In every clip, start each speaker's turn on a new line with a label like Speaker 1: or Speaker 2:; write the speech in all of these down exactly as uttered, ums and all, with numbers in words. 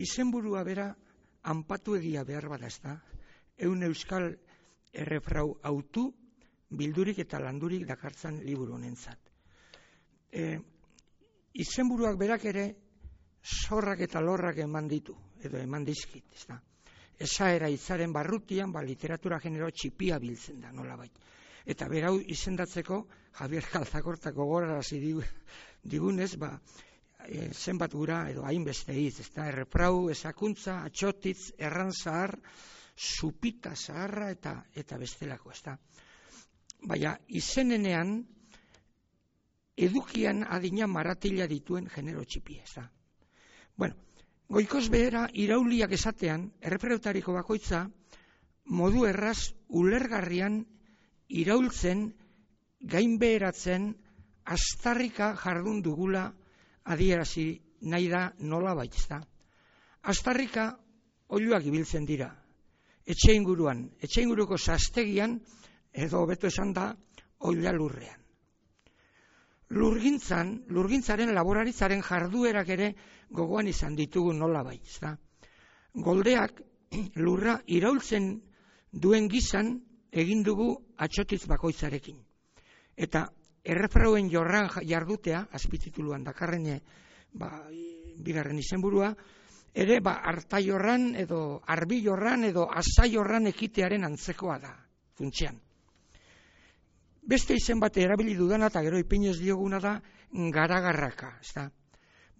Speaker 1: Izenburua bera anpatu egia behar bada, ez da? Eun euskal errefrau autu, bildurik eta landurik dakartzan liburu honentzat. E, izenburuak berak ere zorrak eta lorrak eman ditu, edo eman dizkit, ez da? Esaera hitzaren barrutian, ba, literatura genero txipia biltzen da, nolabait. Eta berau izendatzeko, Javier Calzacorta gogorarazi digunez, ba, e, zenbat gura, edo hainbeste hitz, ez da? Errefrau, esakuntza, atxotitz, erran zahar, supita zaharra eta, eta bestelako, ez da? Baina, izenenean, edukian adina maratila dituen genero txipia, ez da? Bueno, goikoz behera irauliak esatean, errefrautariko bakoitza, modu erraz ulergarrian iraultzen, gainbeheratzen, astarrika jardun dugula adierazi nahi da nola baitzta. Astarrika oiluak ibiltzen dira, etxe inguruan, etxe inguruko sastegian, edo hobeto esan da, oila lurrean. Lurgintzan, lurgintzaren laboraritzaren jarduerak ere gogoan izan ditugu nola baitzta. Goldeak lurra iraultzen duen gizan egin dugu atxotitz bakoitzarekin. Eta errefrauen jorran jardutea, azpitituluan dakarrene, ba, bigarren izenburua, ere ba, artaiorran edo arbilorran edo asaiorran ekitearen antzekoa da, funtsean. Beste izen bat erabili dudana eta gero ipinez dioguna da garagarraka, ezta?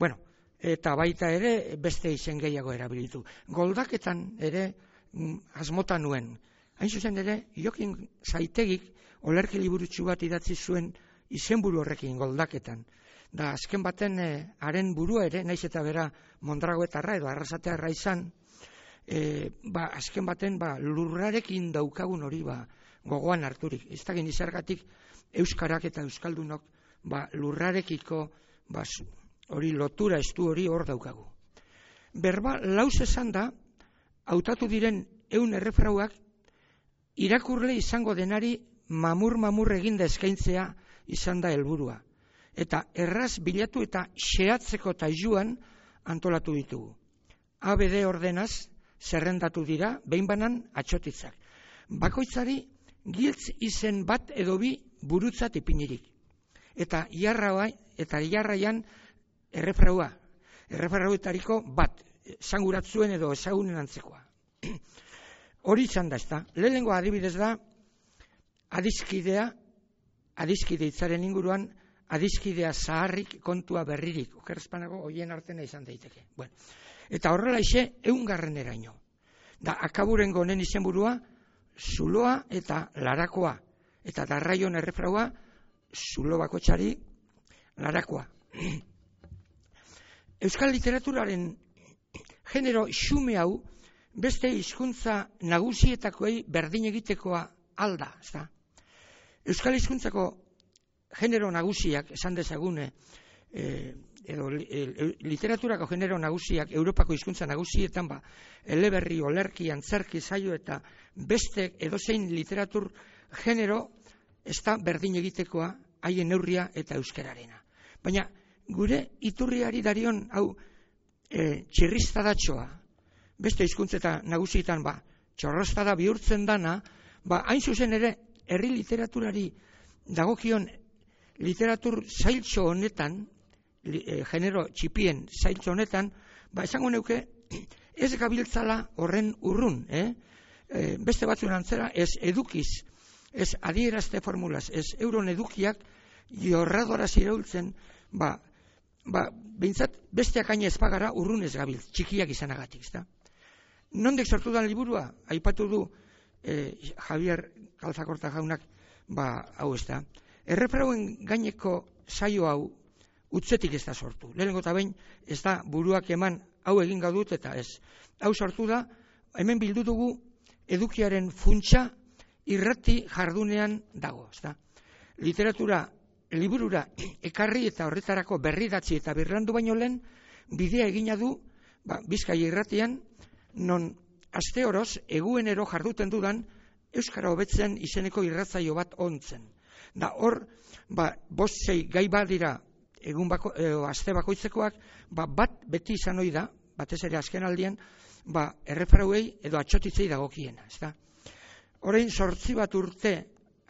Speaker 1: Bueno, eta baita ere beste izen gehiago erabilitu. Goldaketan ere asmota nuen. Hain zuzen ere, Jokin Zaitegik olerki liburutxu bat idatzi zuen izenburu horrekin goldaketan. Da azken baten haren burua ere, naiz eta bera mondragoetarra edo arrasatearra izan, e, ba, azken baten ba, lurrarekin daukagun hori ba, gogoan harturik. Ez da genizargatik euskarak eta euskaldunok ba, lurrarekiko ba, hori lotura estu hori hor daukagu. Berba, lauz esan da, hautatu diren eun errefrauak irakurle izango denari mamur-mamur eginda eskaintzea izan da helburua. Eta erraz bilatu eta xeatzeko tailuan antolatu ditugu. A B D ordenaz zerrendatu dira, behin banan atxotitzak. Bakoitzari giltz izen bat edo bi burutzat ipinirik. Eta jarra eta jarraian errefraua. Errefrauetariko bat, esanguratzuen edo ezagunen antzekoa. Hori izan da, ez da. Lehenengo adibidez da, adiskidea, adiskide hitzaren inguruan, adiskidea zaharrik kontua berririk. Okerrezpanago, hoien artena izan daiteke. Bueno. Eta horrela ise, eungarren eraino. Da, akaburengo honen izenburua, zuloa eta larakoa. Eta darraion errefraua, zulo bakoitzari larakoa. Euskal literaturaren genero xume hau, beste hizkuntza nagusietakoei berdin egitekoa alda, ezta? Euskal hizkuntzako genero nagusiak, esan dezagune, eh, edo e, literaturako genero nagusiak, Europako hizkuntza nagusietan, ba, eleberri, olerki, antzerki, saio eta beste edozein literatur genero ez da berdin egitekoa haien neurria eta euskararena. Baina gure iturriari darion hau e, txirriztadatxoa, beste hizkuntzeta nagusietan ba, txorrostada bihurtzen dana, ba, hain zuzen ere, herri literaturari dagokion literatur zailtxo honetan, li, e, genero txipien zailtxo honetan, ba, esango neuke, ez gabiltzala horren urrun, eh? E, beste batzuen antzera, ez edukiz, ez adierazte formulaz, ez euron edukiak jorradoraz iraultzen, ba, ba, behintzat besteak aina ezpagara urrun ez gabiltz, txikiak izanagatik, ezta? Nondek sortu dan liburua, aipatu du eh, Javier Calzacorta jaunak, ba, hau ez da. Errefrauen gaineko saio hau utzetik ez da sortu. Lehenengo eta behin ez da buruak eman hau egin gaudut eta ez. Hau sortu da, hemen bildu dugu edukiaren funtsa irrati jardunean dago, ez da. Literatura liburura ekarri eta horretarako berridatzi eta birlandu baino lehen bidea egina du ba, Bizkaia irratian, non aste oroz eguenero jarduten dudan euskara hobetzen izeneko irratzaio bat ontzen. Da hor, ba, bost sei gai badira egun bako, e, aste bakoitzekoak, ba, bat beti izan ohi da, batez ere azken aldian, ba, erreferauei edo atxotitzei dagokiena, ezta? Orain zortzi bat urte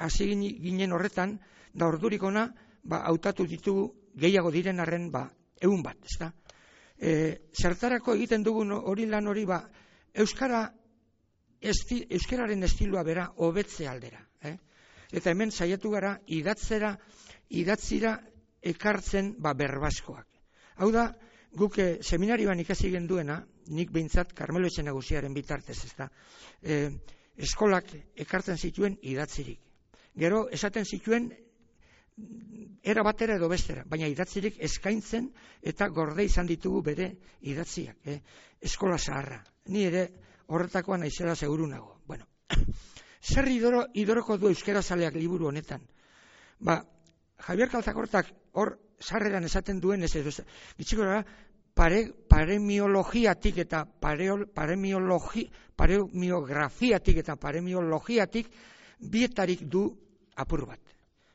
Speaker 1: hasi ginen horretan, da ordurik ona, ba, hautatu ditugu gehiago diren arren, ba, ehun bat, ezta? E, zertarako egiten dugun hori lan hori, ba, euskara esti, euskararen estiloa bera hobetze aldera, eh? Eta hemen saiatu gara idatzera, idatzira ekartzen, ba, berbaskoak. Hau da, guk e, seminarioan ikasi genduena, nik behintzat Karmelo Etxe Nagusiaren bitartez, ezta? E, eskolak ekartzen zituen idatzirik. Gero esaten zituen era batera edo bestera, baina idatzirik eskaintzen eta gorde izan ditugu bere idatziak, eh? Eskola zaharra. Ni ere horretakoa naizela seguru nago. Bueno, zer idoro, idoroko du euskera zaleak liburu honetan? Ba, Javier Calzacortak hor sarreran esaten duen ez edo, gitxiko gara, pare, paremiologiatik eta pareol, paremiologi, paremiografiatik eta paremiologiatik bietarik du apur bat.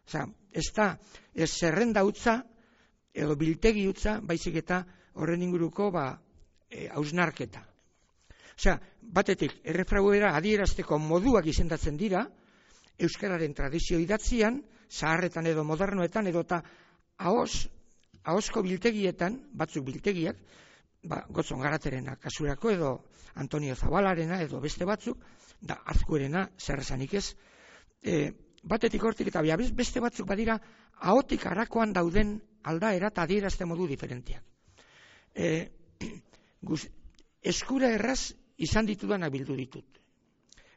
Speaker 1: Osea, ez da, ez zerrenda utza, edo biltegi utza, baizik eta horren inguruko, ba, e, hausnarketa. Osea, batetik, errefrauera adierazteko moduak izendatzen dira, euskararen tradizio idatzian, zaharretan edo modernoetan, edo eta ahos, ahosko biltegietan, batzuk biltegiak, ba, Gotzon Garaterena kasurako, edo Antonio Zabalarena, edo beste batzuk, da Azkuerena, zer esanik ez, e, batetik hortik eta beste batzuk badira ahotik harakoan dauden aldaera eta adierazte modu diferenteak. E, guz, eskura erraz izan ditudanak bildu ditut.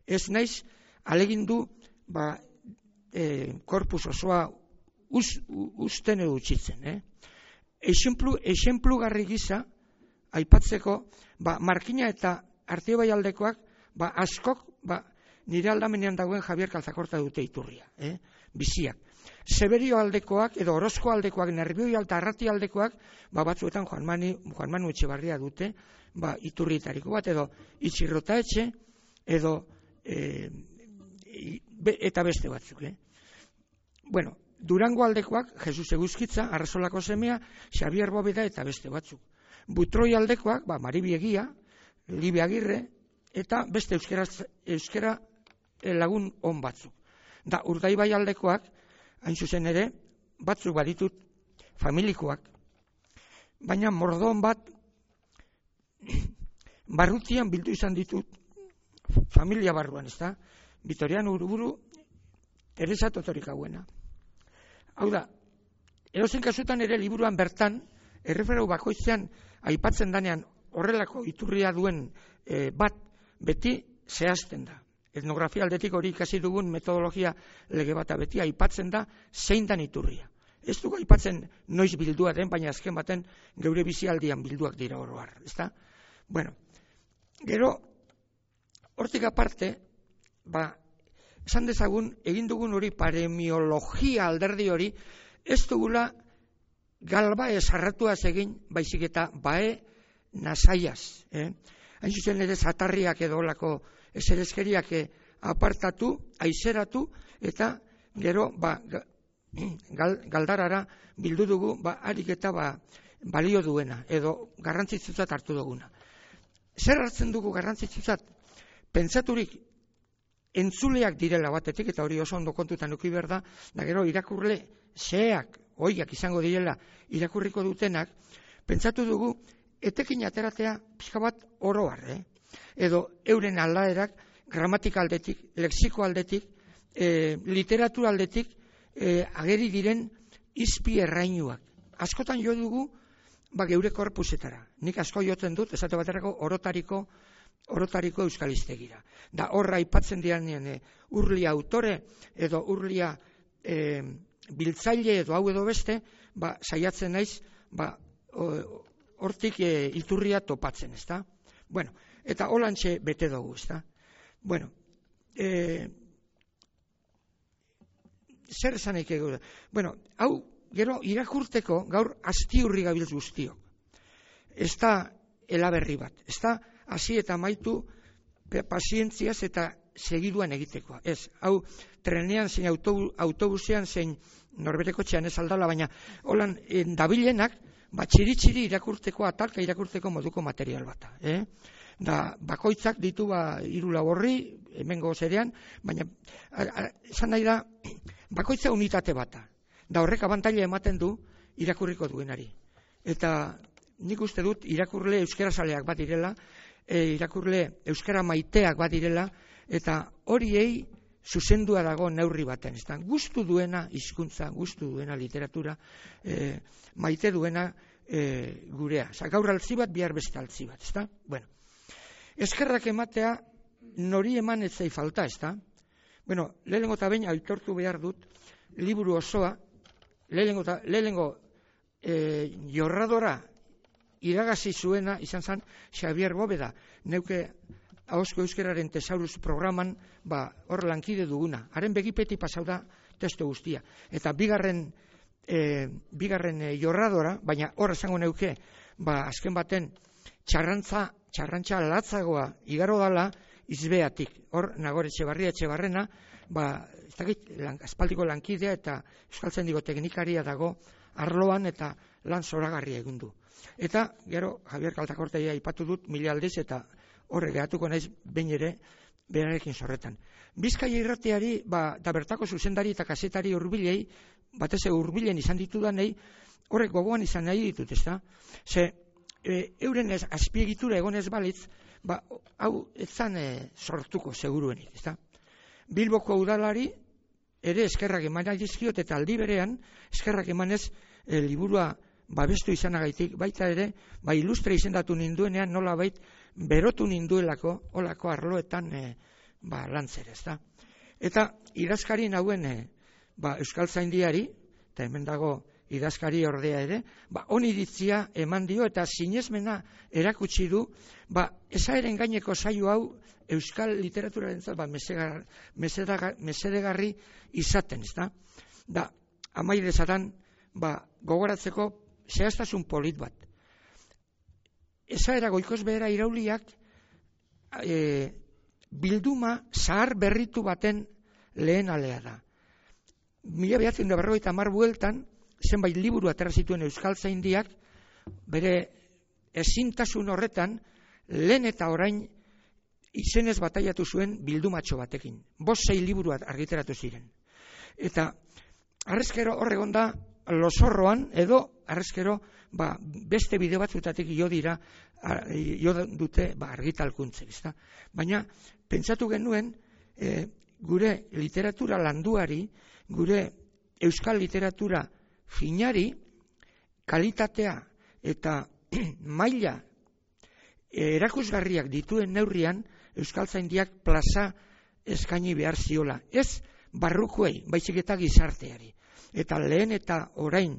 Speaker 1: Ez naiz alegindu ba, e, korpus osoa uz, uzten edo utxitzen. Eh? Exemplu, exemplu garri gisa aipatzeko ba, Markina eta Artiobai aldekoak ba, askok ba, nire aldamenean dagoen Javier Calzacorta dute iturria, eh? Biziak. Severio aldekoak, edo Orozko aldekoak, Nerbioi alta Arrati aldekoak, ba, batzuetan Juan, Mani, Juan Manu Etxebarria dute, ba, iturrietariko bat, edo Itxirrota Etxe, edo e, be, eta beste batzuk. Eh? Bueno, Durango aldekoak, Jesus Eguzkitza, Arrasolako semea, Xabier Bobeda eta beste batzuk. Butroi aldekoak, ba, Maribi Egia, Libe Agirre, eta beste euskera, euskera lagun on batzuk. Da, Urdaibai aldekoak, hain zuzen ere, batzuk baditut familikoak, baina mordon bat barrutian bildu izan ditut familia barruan, ez da? Vitoriano Uruburu, Teresa Totorik hauena. Hau da, edozen kasutan ere liburuan bertan, erreferau bakoitzean aipatzen danean horrelako iturria duen e, bat beti zehazten da. Etnografia aldetik hori ikasi dugun metodologia lege bata beti aipatzen da zein dan iturria. Ez dugu aipatzen noiz bildua den, baina azken baten geure bizialdian bilduak dira oro har, ezta? Bueno, gero hortik aparte, ba, esan dezagun egin dugun hori paremiologia alderdi hori ez dugula galba esarratuaz egin, baizik eta bae nasaiaz, eh? Hain zuzen ere zatarriak edo olako eserezkeriak apartatu, aizeratu, eta gero ba, gal, galdarara bildu dugu ba, harik eta ba, balio duena, edo garrantzitsutzat hartu duguna. Zer hartzen dugu garrantzitsutzat? Pentsaturik entzuleak direla batetik, eta hori oso ondo kontutan eduki behar da, da gero irakurle xeak, oiak izango direla irakurriko dutenak, pentsatu dugu etekin ateratea pixka bat oroar, eh? Edo euren aldaerak gramatika aldetik, lexiko aldetik, e, literatura aldetik e, ageri diren izpi errainuak. Askotan jo dugu ba, geure korpusetara. Nik asko jotzen dut, esate baterako orotariko, orotariko euskalistegira. Da horra aipatzen dianean e, urlia autore edo urlia e, biltzaile edo hau edo beste, ba, saiatzen naiz ba, hortik e, iturria topatzen, ezta? Bueno, eta holantxe bete dugu, ezta? Bueno, e, zer esanik egu da? Bueno, hau, gero irakurteko gaur astiurri gabiltz guztio. Ez da elaberri bat, ez da hasi eta maitu pazientziaz eta segiduan egitekoa. Ez, hau trenean zein autobusean zein norberekotxean ez aldala, baina holan dabilenak ba, txiri-txiri irakurtzeko, atalka irakurtzeko moduko material bata. Eh? Da, bakoitzak ditu ba, hiru lau horri, hemengo zerean, baina esan nahi da, bakoitza unitate bata. Da horrek abantaila ematen du irakurriko duenari. Eta nik uste dut irakurle euskarazaleak bat direla, e, irakurle euskara maiteak bat direla, eta horiei zuzendua dago neurri baten. Ez da, gustu duena hizkuntza, gustu duena literatura, e, maite duena e, gurea. Osa, gaur altzi bat, bihar beste altzi bat. Ez da? Bueno, eskerrak ematea nori eman ez zai falta, ez da? Bueno, lehenengo eta behin aitortu behar dut, liburu osoa, lehenengo, ta, lehenengo e, jorradora iragazi zuena izan zen Xavier Bóveda, neuke ahozko euskararen tesaurus programan ba, hor lankide duguna. Haren begipeti pasau da testu guztia. Eta bigarren, e, bigarren e, jorradora, baina hor esango neuke, ba, azken baten txarrantza, txarrantza latzagoa igaro dala izbeatik. Hor Nagore Etxebarria Etxebarrena, ba, ez dakit, lan, aspaldiko lankidea eta euskaltzaindiko teknikaria dago arloan eta lan zoragarria egin du. Eta, gero, Javier Kaltakorteia aipatu dut mila aldiz eta horre gehatuko naiz behin ere berarekin zorretan. Bizkaia irratiari, ba, da bertako zuzendari eta kazetari hurbilei, batez hurbilen izan ditudanei, horrek gogoan izan nahi ditut, ezta? Ze, e, euren ez, azpiegitura egonez balitz, ba, hau etzan e, sortuko seguruenik, ezta? Bilboko udalari ere eskerrak eman dizkiot eta aldi berean eskerrak emanez e, liburua babestu izanagaitik, baita ere, ba, ilustre izendatu ninduenean nola bait berotu ninduelako, olako arloetan e, ba, lantzera, ezta? Eta idazkari nauen e, ba, Euskaltzaindiari, eta hemen dago idazkari ordea ere, ba, oniritzia eman dio eta sinesmena erakutsi du, ba, esaeren gaineko saio hau euskal literaturaren zat, ba, mesegar, mesedagar, mesedegarri izaten, ezta? Da, amaidezatan, ba, gogoratzeko zehaztasun polit bat. Esaera goikoz behera irauliak e, bilduma zahar berritu baten lehen alea da. Mila behatzen da berrogeita hamar bueltan, zenbait liburu atera zituen Euskaltzaindiak, bere ezintasun horretan, lehen eta orain izenez bataiatu zuen bildumatxo batekin. Bost sei liburu argiteratu ziren. Eta harrezkero horregon da, losorroan, edo harrezkero ba, beste bideo batzutatik jo dira, jo dute ba, argitalkuntzek. Ezta? Baina, pentsatu genuen, e, gure literatura landuari, gure euskal literatura finari, kalitatea eta maila erakusgarriak dituen neurrian, Euskaltzaindiak plaza eskaini behar ziola. Ez barrukoei, baizik eta gizarteari. Eta lehen eta orain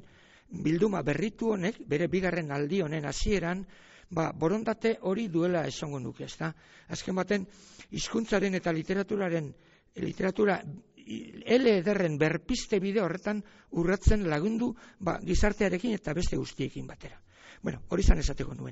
Speaker 1: bilduma berritu honek, bere bigarren aldi honen hasieran, ba, borondate hori duela esango nuke, ezta? Azken baten, hizkuntzaren eta literaturaren, literatura ele ederren berpiste bide horretan urratzen lagundu ba, gizartearekin eta beste guztiekin batera. Bueno, hori zan esateko nuena.